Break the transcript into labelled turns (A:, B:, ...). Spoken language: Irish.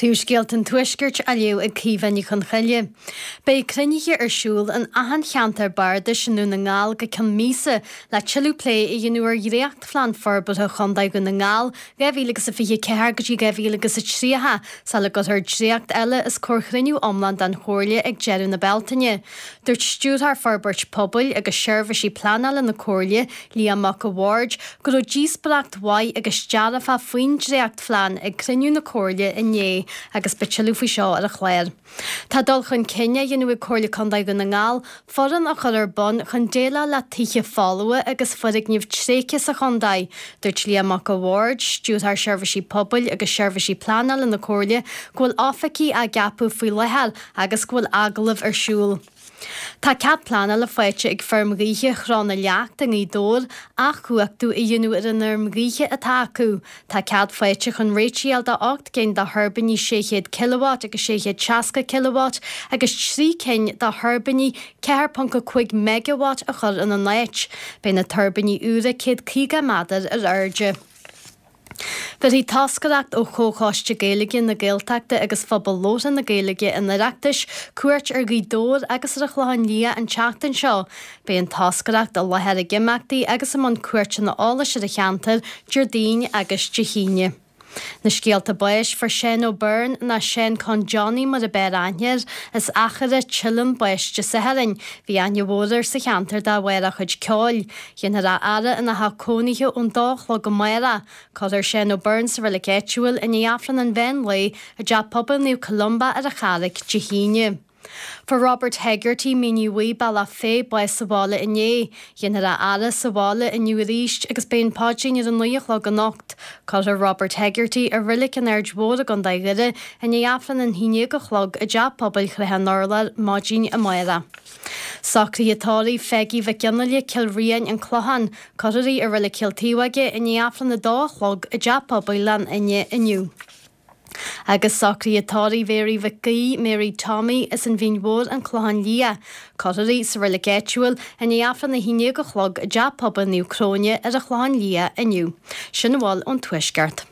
A: Príomhscéalta an Tuaiscirt á léamh ag Caoimhe Ní Chonchoille. Beidh cruinnithe ar siúl in achan cheantar bardais i nDún na nGall go ceann míosa le tuilleadh plé a dhéanamh ar dhréachtphlean forbartha Chontae Dhún na nGall 2024 go dtí 2030 sula gcuirfear dréacht eile os comhair chruinniú iomlán den Chomhairle ag deireadh na Bealtaine. Dúirt Stiúrthóir Forbairt Pobail agus Seirbhísí Pleanála na Comhairle, Liam Mac a' Bhaird, go raibh díospóireacht mhaith agus dearfach faoin dréachtphlean ag cruinniú na Comhairle inné agus beidh tuilleadh faoi seo ar an chlár. Tá dul chun cinn á dhéanamh ag Comhairle Contae Dhún na nGall foireann a chur ar bun chun déileáil le tithe folmha agus foirgnimh tréigthe sa chontae. Dúirt Liam Mac a' Bhaird, Stiúrthóir Seirbhísí Pobail agus Seirbhísí Pleanála na Comhairle, go bhfuil oifigigh á gceapadh faoi láthair agus go bhfuil agallaimh ar siúl. Tá cead pleanála faighte ag feirm ghaoithe Chró na Leacht i nGaoth Dobhair athchumhachtú a dhéanamh ar an fheirm ghaoithe atá acu. Tá cead faighte chun réitigh a fháil do 8 gcinn de thuirbíní 600 kilowatt agus 660 kilowatt agus 3 cinn de thuirbíní 4.5 megawatt a chur ina n-áit. Beidh na tuirbíní úra 150 méadar ar airde. Bhéarfaidh toscaireacht ó Chomhchoiste Gaeilge na Gaeltachta agus Phobal Labhartha na Gaeilge an Oireachtais cuairt ar Ghaoth Dobhair agus ar an Chlochán Liath an tseachtain seo. Beidh an toscaireacht i láthair ag imeachtaí agus i mbun cuairteanna eolais ar an cheantar Déardaoin agus Dé hAoine. Na scéalta báis, Fuair Seán O'Byrne, nó Seán Con Johnny mar a b'fhearr aithne air, as Achadh Teileann bás Dé Sathairn. Bhí aithne mhór air sa cheantar de bharr a chuid ceoil. Déanfar a fhaire ina theach cónaithe ón dó a chlog amárach. Cuirfear Seán O'Byrne sa reilig áitiúil i ndiaidh Aifreann an mheán lae i dTeach Pobail Naomh Columba ar an Charraic Dé hAoine. Fuair Robert Hegarty, Mín Uí Bhaoith, Bealach Féich, bás sa bhaile inné. Déanfar a fhaire sa bhaile inniu arís agus beidh an paidrín ar a 9 a chlog anocht. Cuirfear Robert Hegarty i Reilig an Aird Mhóir i gContae Dhoire i ndiaidh Aifreann an 11 a chlog i dTeach Pobail Shraith an Urláir maidin amárach. Socruithe tórraimh Pheigí Mhic Fhionnghaile, Cill Riain, An Clochán. Cuirfear í i Reilig Chill Taobhóige i ndiaidh Aifreann a dó a chlog i dTeach Pobail Ghleann Fhinne inniu. Agus socruithe tórraimh Mhéaraí Mhic Aoidh, Mary Tommy, as an Mhín Mhór, An Clochán Liath. Cuirfear í sa reilig áitiúil i ndiaidh Aifreann 11 a chlog i dTeach Pobail Naomh Cróine ar an Chlochán Liath inniu. Sin a bhfuil ón Tuaisceart.